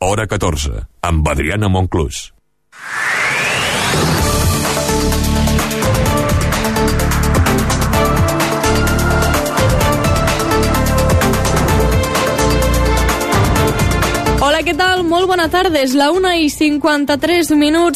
hora 14, amb Adriana Monclús. Hola, què tal? Molt bona tarda. És la 1:53.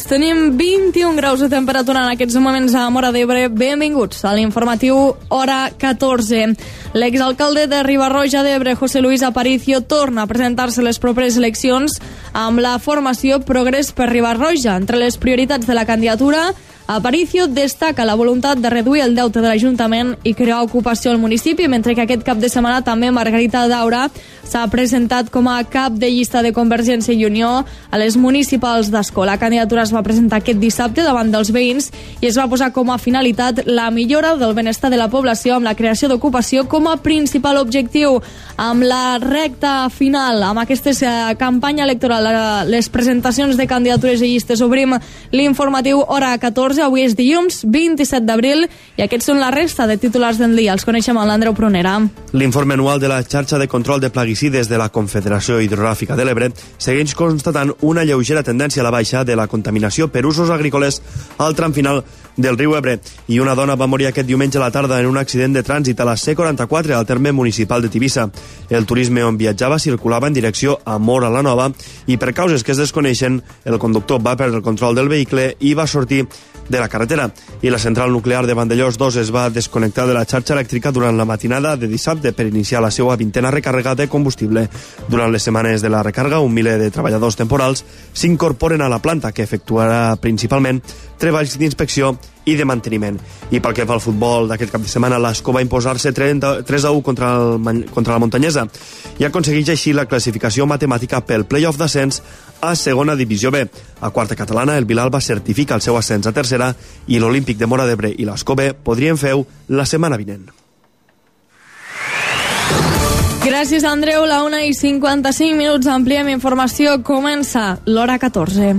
Tenim 21 graus de temperatura en aquests moments a Móra d'Ebre. Benvinguts a l'informatiu Hora 14. L'exalcalde de Riba-roja d'Ebre, José Luis Aparicio, torna a presentar-se les properes eleccions amb la formació Progrés per Riba-roja. Entre les prioritats de la candidatura, Aparicio destaca la voluntat de reduir el deute de l'Ajuntament i crear ocupació al municipi, mentre que aquest cap de setmana també Margarita Daura s'ha presentat com a cap de llista de Convergència i Unió a les municipals d'Ascó. La candidatura es va presentar aquest dissabte davant dels veïns i es va posar com a finalitat la millora del benestar de la població amb la creació d'ocupació com a principal objectiu. Amb la recta final, amb aquesta campanya electoral, les presentacions de candidatures i llistes, obrim l'informatiu Hora 14. Avui és dilluns 27 d'abril i aquests són la resta de titulars del dia. Els coneixem amb l'Andreu Prunera. L'informe anual de la xarxa de control de plaguicides de la Confederació Hidrogràfica de l'Ebre segueix constatant una lleugera tendència a la baixa de la contaminació per usos agrícoles al tram final del riu Ebre. I una dona va morir aquest diumenge a la tarda en un accident de trànsit a la C44 al terme municipal de Tivissa. El turisme on viatjava circulava en direcció a Móra la Nova i per causes que es desconeixen, el conductor va perdre el control del vehicle i va sortir de la carretera. I la central nuclear de Vandellós 2 es va desconnectar de la xarxa elèctrica durant la matinada de dissabte per iniciar la seva 20a recàrrega de combustible. Durant les setmanes de la recàrrega, un miler de treballadors temporals s'incorporen a la planta, que efectuarà principalment treballs d'inspecció i de manteniment. I pel que fa al futbol d'aquest cap de setmana, l'Ascó va imposar-se 3-1 contra la Muntanyesa i aconsegueix així la classificació matemàtica pel play-off d'ascens a segona divisió B. A quarta catalana, el Vilalba certifica el seu ascens a tercera i l'Olímpic de Móra d'Ebre i l'Ascó B podrien fer-ho la setmana vinent. Gràcies, Andreu. La 1:55. Ampliem informació. Comença l'Hora 14.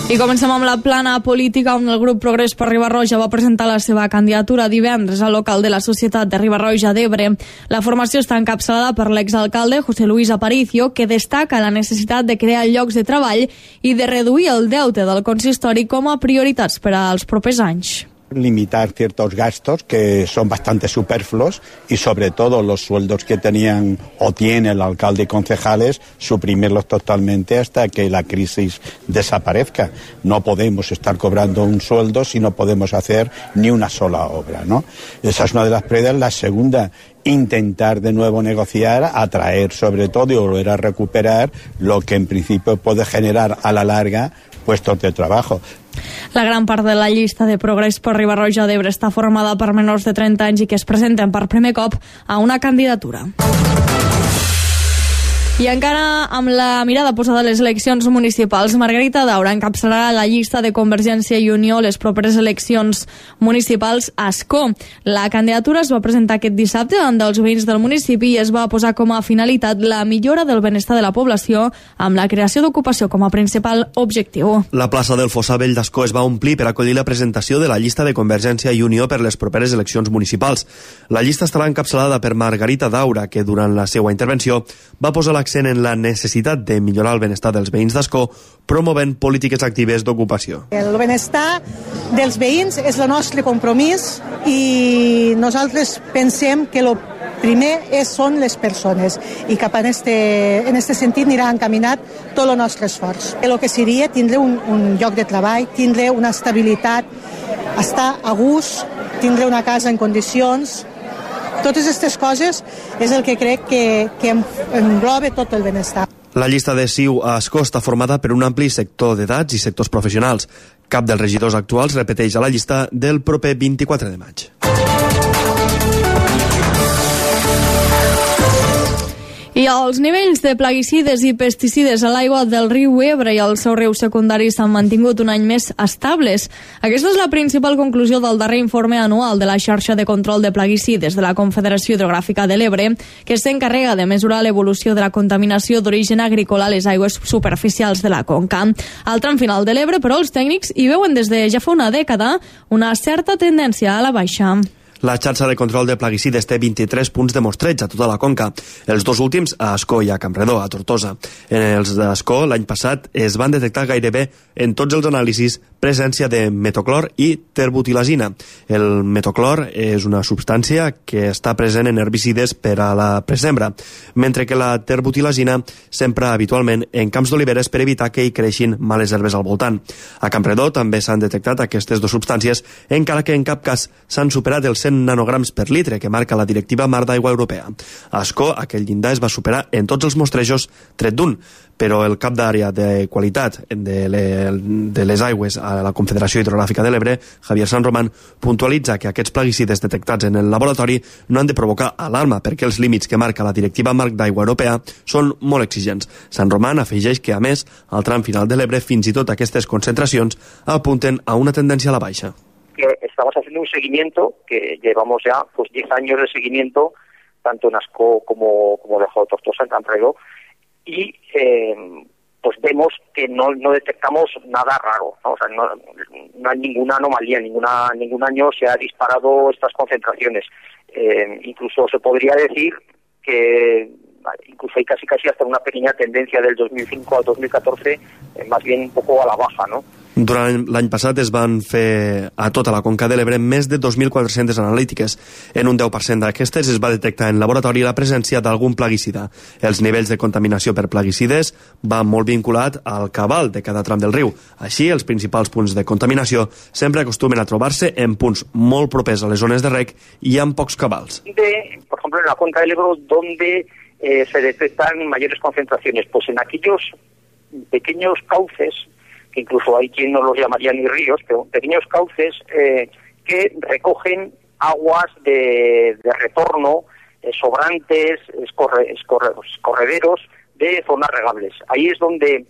I comencem amb la plana política, on el grup Progrés per Riba-roja va presentar la seva candidatura divendres al local de la Societat de Riba-roja d'Ebre. La formació està encapçalada per l'exalcalde José Luis Aparicio, que destaca la necessitat de crear llocs de treball i de reduir el deute del consistori com a prioritats per als propers anys. Limitar ciertos gastos que son bastante superfluos y sobre todo los sueldos que tenían o tiene el alcalde y concejales, suprimirlos totalmente hasta que la crisis desaparezca. No podemos estar cobrando un sueldo si no podemos hacer ni una sola obra, ¿no? Esa es una de las prioridades. La segunda, intentar de nuevo negociar, atraer sobre todo y volver a recuperar lo que en principio puede generar a la larga puestos de trabajo. La gran part de la llista de Progrés per Riba-roja d'Ebre està formada per menors de 30 anys i que es presenten per primer cop a una candidatura. I encara amb la mirada posada a les eleccions municipals, Margarita Daura encapçalarà la llista de Convergència i Unió les properes eleccions municipals a Ascó. La candidatura es va presentar aquest dissabte davant dels veïns del municipi i es va posar com a finalitat la millora del benestar de la població amb la creació d'ocupació com a principal objectiu. La plaça del Fossar Vell d'Ascó es va omplir per acollir la presentació de la llista de Convergència i Unió per les properes eleccions municipals. La llista estarà encapçalada per Margarita Daura, que durant la seva intervenció va posar l'accent en la necessitat de millorar el benestar dels veïns d'Ascó, promovent polítiques actives d'ocupació. El benestar dels veïns és el nostre compromís i nosaltres pensem que el primer són les persones i cap en este sentit anirà encaminat tot el nostre esforç. El que seria tindre un lloc de treball, tindre una estabilitat, estar a gust, tindre una casa en condicions. Totes aquestes coses és el que crec que engloba tot el benestar. La llista de CiU a Ascó està formada per un ampli sector d'edats i sectors professionals. Cap dels regidors actuals repeteix a la llista del proper 24 de maig. I els nivells de plaguicides i pesticides a l'aigua del riu Ebre i al seu riu secundari s'han mantingut un any més estables. Aquesta és la principal conclusió del darrer informe anual de la xarxa de control de plaguicides de la Confederació Hidrogràfica de l'Ebre, que s'encarrega de mesurar l'evolució de la contaminació d'origen agrícola a les aigües superficials de la conca. Al tram final de l'Ebre, però, els tècnics hi veuen des de ja fa una dècada una certa tendència a la baixa. La xarxa de control de plaguicides té 23 punts de mostreig a tota la conca, els dos últims a Ascó i a Campredó, a Tortosa. En els d'Ascó, l'any passat, es van detectar gairebé en tots els anàlisis presència de metoclor i terbutilazina. El metoclor és una substància que està present en herbicides per a la presembra, mentre que la terbutilazina s'empra habitualment en camps d'oliveres per evitar que hi creixin males herbes al voltant. A Campredó també s'han detectat aquestes dues substàncies, encara que en cap cas s'han superat els 100 nanograms per litre que marca la directiva Mar d'Aigua Europea. A Ascó, aquell llindar es va superar en tots els mostrejos tret d'un, però el cap d'àrea de qualitat de les aigües a la Confederació Hidrogràfica de l'Ebre, Javier San Román, puntualitza que aquests plaguicides detectats en el laboratori no han de provocar alarma perquè els límits que marca la directiva Marc d'Aigua Europea són molt exigents. San Román afegeix que, a més, al tram final de l'Ebre, fins i tot aquestes concentracions apunten a una tendència a la baixa. Que estamos haciendo un seguimiento que llevamos ya 10 años de seguimiento, tanto en Ascó como debajo de Tortosa, en Campredó, y pues vemos que no detectamos nada raro, ¿no? O sea, no hay ninguna anomalía, ningún año se ha disparado estas concentraciones. Incluso se podría decir que incluso hay casi hasta una pequeña tendencia del 2005 al 2014, más bien un poco a la baja, ¿no? Durant l'any passat es van fer a tota la conca de l'Ebre més de 2.400 analítiques. En un 10% d'aquestes es va detectar en laboratori la presència d'algun plaguicida. Els nivells de contaminació per plaguicides van molt vinculat al cabal de cada tram del riu. Així, els principals punts de contaminació sempre acostumen a trobar-se en punts molt propers a les zones de rec i amb pocs cabals. Por ejemplo, en la cuenca del Ebro, donde se detectan mayores concentraciones, pues en aquellos pequeños cauces, que incluso hay quien no los llamaría ni ríos, pero pequeños cauces que recogen aguas de retorno, sobrantes, escorrederos de zonas regables. Ahí es donde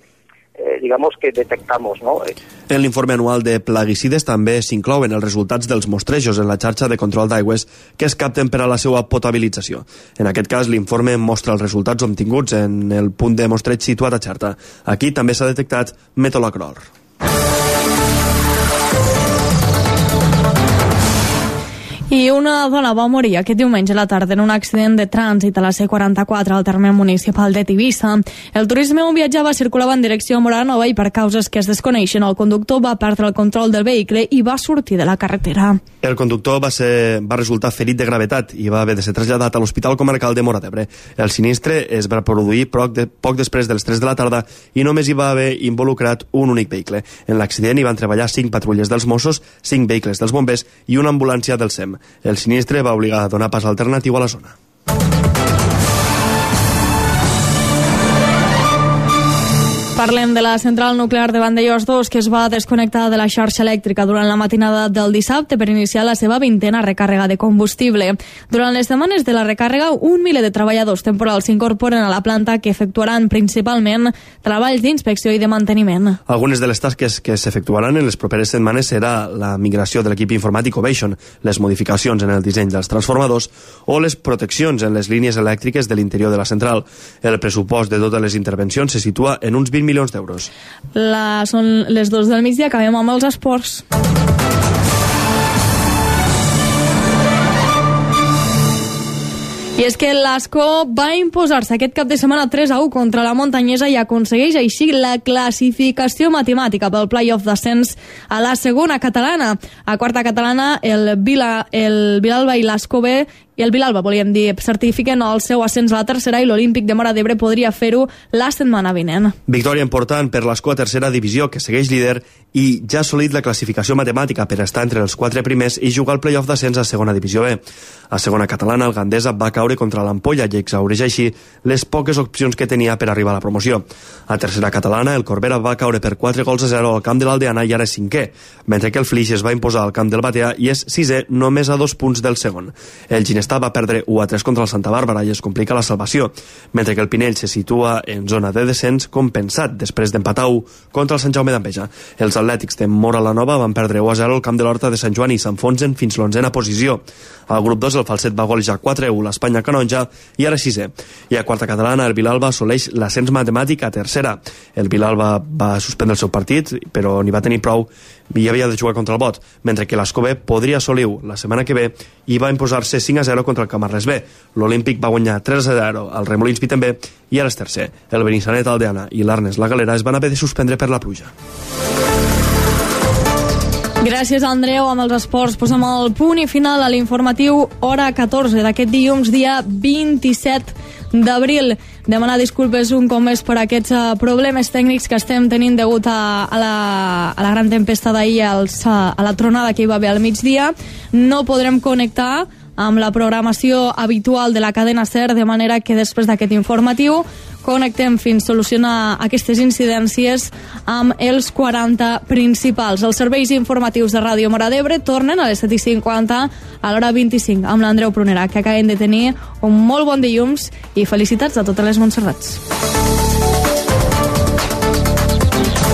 digamos que detectamos, ¿no? En l'informe anual de plaguicides també s'inclouen els resultats dels mostrejos en la xarxa de control d'aigües que es capten per a la seva potabilització. En aquest cas, l'informe mostra els resultats obtinguts en el punt de mostreig situat a Xerta. Aquí també s'ha detectat metolacrol. I una dona va morir aquest diumenge a la tarda en un accident de trànsit a la C44 al terme municipal de Tivissa. El turisme on viatjava circulava en direcció a Móra-la-Nova i per causes que es desconeixen el conductor va perdre el control del vehicle i va sortir de la carretera. El conductor va resultar ferit de gravetat i va haver de ser traslladat a l'Hospital Comarcal de Móra d'Ebre. El sinistre es va produir poc després de les 3 de la tarda i només hi va haver involucrat un únic vehicle. En l'accident hi van treballar 5 patrulles dels Mossos, 5 vehicles dels bombers i una ambulància del SEM. El sinistre va obligar a donar pas alternatiu a la zona. Parlem de la central nuclear de Vandellòs 2, que es va desconnectar de la xarxa elèctrica durant la matinada del dissabte per iniciar la seva 20a recàrrega de combustible. Durant les setmanes de la recàrrega, 1 miler de treballadors temporals s'incorporen a la planta que efectuaran principalment treballs d'inspecció i de manteniment. Algunes de les tasques que s'efectuaran en les properes setmanes serà la migració de l'equip informàtic Ovation, les modificacions en el disseny dels transformadors o les proteccions en les línies elèctriques de l'interior de la central. El pressupost de totes les intervencions se situa en uns 20 milions d'euros. Són les 2 del migdia, acabem amb els esports. I és que l'Ascó va imposar-se aquest cap de setmana 3-1 contra la Montanyesa i aconsegueix així la classificació matemàtica pel play-off d'ascens a la segona catalana. A quarta catalana, el Vilalba i l'Ascó B i el Vilalba, volíem dir, certifiquen el seu ascens a la tercera i l'Olímpic de Móra d'Ebre podria fer-ho la setmana vinent. Victòria important per l'Ascó a tercera divisió, que segueix líder i ja ha assolit la classificació matemàtica per estar entre els 4 primers i jugar el play-off d'ascens a segona divisió B. A segona catalana, el Gandesa va caure contra l'Ampolla i exhaureix així les poques opcions que tenia per arribar a la promoció. A tercera catalana, el Corbera va caure per 4-0 al camp de l'Aldeana i ara és 5è, mentre que el Flix es va imposar al camp del Batea i és 6è només a 2 punts del segon. El Ginestar va perdre 1-3 contra el Santa Bàrbara i es complica la salvació, mentre que el Pinell se situa en zona de descens compensat després d'empatar 1 contra el Sant Jaume d'Enveja. Els atlètics de Móra-la-Nova van perdre 1-0 al camp de l'Horta de Sant Joan i s'enfonsen fins l'11a posició. Al grup 2 el Falset va golejar 4-1 l'Espanya Canonja i ara 6è. I a quarta catalana el Vilalba assoleix l'ascens matemàtic a tercera. El Vilalba va suspendre el seu partit, però n'hi va tenir prou i havia de jugar contra el Bot, mentre que l'Escó B podria assolir la setmana que ve i va imposar-se 5-0 contra el Camarles B. L'Olímpic va guanyar 3-0 al Remolins Piten B i ara és tercer. El Benissanet Aldeana i l'Arnes La Galera es van haver de suspendre per la pluja. Gràcies, Andreu. Amb els esports posem el punt i final a l'informatiu hora 14 d'aquest dilluns, dia 27 d'abril. Demanar disculpes un cop més per aquests problemes tècnics que estem tenint degut a la gran tempesta d'ahir, a la tronada que hi va haver al migdia. No podrem connectar amb la programació habitual de la cadena SER, de manera que després d'aquest informatiu connectem fins a solucionar aquestes incidències amb els 40 principals. Els serveis informatius de Ràdio Móra d'Ebre tornen a les 7:50 a l'hora 25 amb l'Andreu Prunera, que acabem de tenir un molt bon dilluns i felicitats a totes les Montserrats.